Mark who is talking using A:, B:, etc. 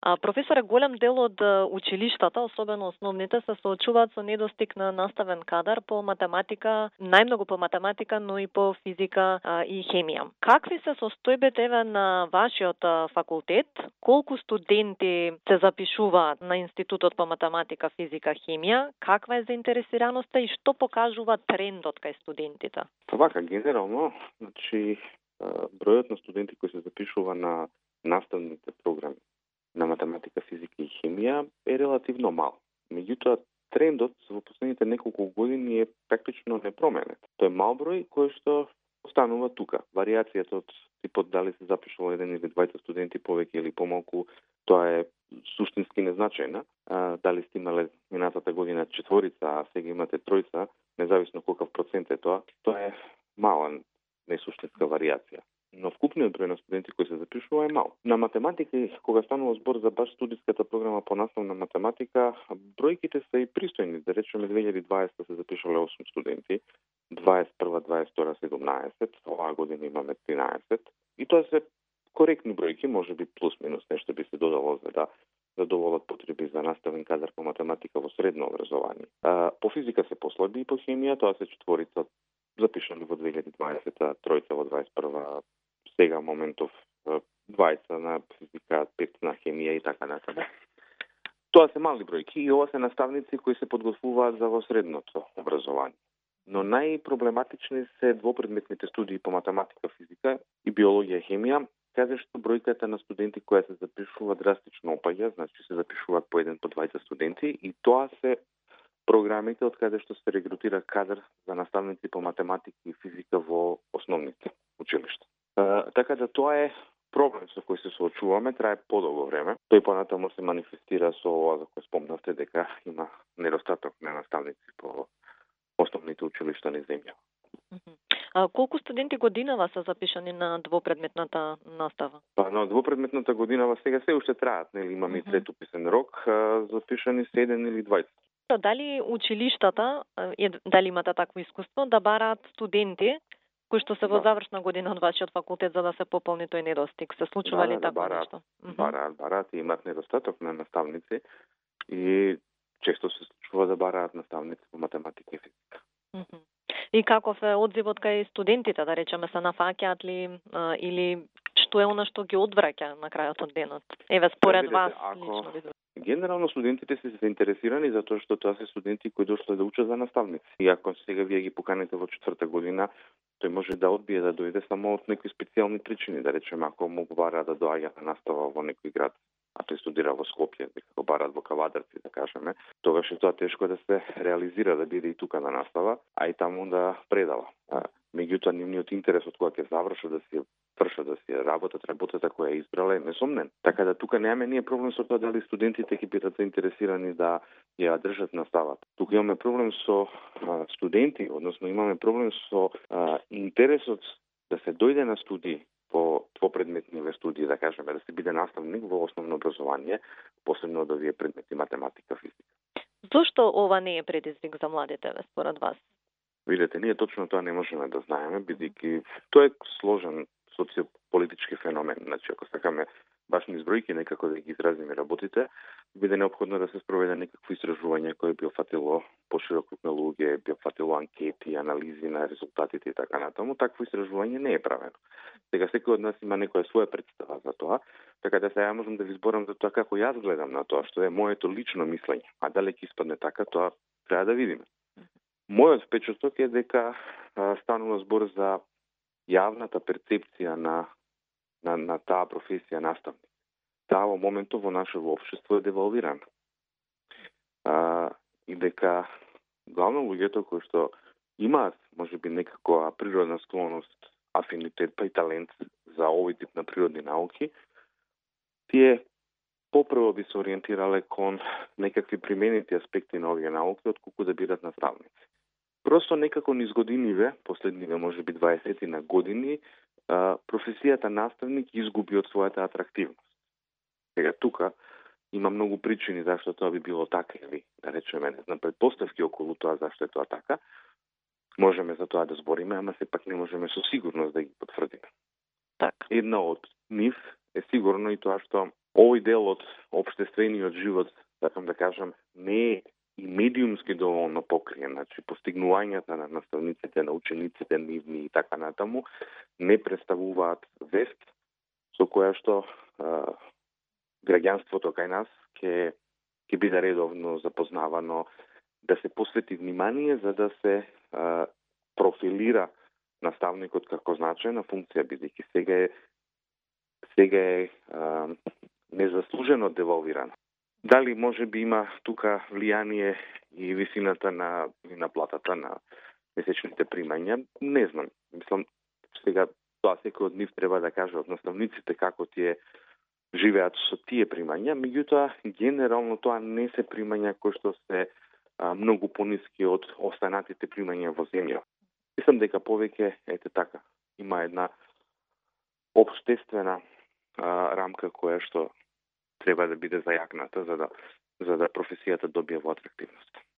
A: Професоре, голем дел од училиштата, особено основните, се соочуваат со недостиг на наставен кадар по математика, најмногу по математика, но и по физика и хемија. Какви се состојбите на вашиот факултет? Колку студенти се запишуваат на Институтот по математика, физика, хемија? Каква е заинтересираноста и што покажува трендот кај студентите?
B: Вака, генерално, бројот на студенти кои се запишува на наставните програми на математика, физика и хемија е релативно мал. Меѓутоа, трендот во последните неколку години е практично непроменет. Тој е мал број кој што останува тука. Варијацијата од типот дали се запишува 1 или 2 студенти повеќе или помалку, тоа е суштински незначајна. Дали сте имале минатата година 4, а сега имате 3, независно колкав процент е тоа е мала несуштинска варијација. Но вкупниот број на студенти кои се запишува е мал. На математика, кога станува збор за баш студиската програма по наставна математика, бројките се и пристојни. Да речеме 2020 се запишале 8 студенти, 21-22 17, оваа година имаме 13. И тоа се коректни бројки, може би плюс-минус нешто би се додало за да задоволат потреби за наставен кадар по математика во средно образование. По физика се послаби и по хемија, тоа се 4 запишани во 2020, 3 во 21, сега моментов 20 на физика, 5 на хемија и така натаму. Тоа се мали бројки и ова се наставници кои се подготвуваат за во средното образование. Но најпроблематични се двопредметните студии по математика, физика и биологија, хемија, каде што бројката на студенти кои се запишува драстично опаѓа, значи се запишуваат по 1 по 20 студенти и тоа се програмите од каде што се регрутира кадар за наставници по математика и физика во основните училишта. Така да тоа е проблем со кој се соочуваме, трае подолго време. Тој понатаму се манифестира со ова за кој спомнавте дека има недостаток на наставници по основните училишта на земја.
A: Колку студенти годинава се запишани на двопредметната настава?
B: На двопредметната годинава сега се уште траат, нели имаме и трет уписен рок, запишани се 1 или 20.
A: Дали училиштата, дали имате такво искуство, да бараат студенти кои што се во завршна година од вашиот факултет за да се пополни тој недостиг? Се случува ли такво нешто?
B: Бараат и имаат недостаток на наставници и често се случува да бараат наставници по математика и физика.
A: И каков е одзивот кај студентите, да речеме, се нафаќаат ли или што е она што ги одвраќа на крајот од денот? Еве според вас лично ви.
B: Генерално студентите се заинтересирани затоа што тоа се студенти кои дошле да учат за наставници. И ако сега вие ги поканите во 4-та година, тој може да одбие да дојде само од некои специјални причини, да речеме ако му бара да доаѓа на настава во некој град, а тој студира во Скопје, дека го бараат во Кавадарци, да кажеме, тогаш е тоа тешко да се реализира да биде и тука на настава, а и таму да предава. Меѓутоа, нивниот интерес од кога ќе завршат да си работата која е избрала е несомнен. Така да тука немаме ние проблем со тоа дали студентите ќе бидат заинтересирани да ја држат наставата. Тука имаме проблем со студенти, односно имаме проблем со интересот да се дојде на студии по двопредметниве студии, да кажеме, да се биде наставник во основно образование, посебно да вие предмети математика, физика.
A: Зошто ова не е предизвик за младите, според вас?
B: Видете, ние точно тоа не можеме да знаеме, бидејќи тоа е сложен социополитички феномен. Значи, ако сакаме баш низ бројки некако да ги изразиме работите, биде неопходно да се спроведе некакво истражување кое би опфатило поширок круг на луѓе, би опфатило анкети, анализи на резултатите и така натаму. Такво истражување не е правено. Сега секој од нас има некоја своја представа за тоа, така да сега можам да ви зборам за тоа како јас гледам на тоа, што е моето лично мислење. А дали ќе испадне така, тоа треба да видиме. Мојот впечаток е дека станува збор за јавната перцепција на таа професија наставник. Таа во моментот во нашето општество е девалвирана. И дека главно луѓето кои што имаат можеби некаква природна склоност, афинитет па и талент за овој тип на природни науки, тие попрво би се ориентирале кон некакви применети аспекти на овие науки отколку да бидат наставници. Просто некако низ годиниве, последниве можеби 20 на години, професијата наставник изгуби од својата атрактивност. Сега тука има многу причини зашто тоа би било така, или да речеме, не знам, предпоставки околу тоа зашто е тоа така. Можеме за тоа да збориме, ама сепак не можеме со сигурност да ги потврдиме.
A: Так.
B: Една од нив е сигурно и тоа што овој дел од општествениот живот, сакам да кажам, не е и медиумски доволно покриен, значи постигнувањата на наставниците, на учениците нивни и така натаму, не представуваат вест со која што граѓанството кај нас ќе биде редовно запознавано, да се посвети внимание за да се профилира наставникот како значајна функција, бидејќи сега е незаслужено девалвирано. Дали може би има тука влијание и висината на платата на месечните примања? Не знам. Мислам, сега тоа секој од нив треба да каже од наставниците како тие живеат со тие примања, меѓутоа генерално тоа не се примања кои што се многу пониски од останатите примања во земја. Мислам дека повеќе така има една општествена рамка која што треба да биде зајакната за да професијата добие во атрактивност.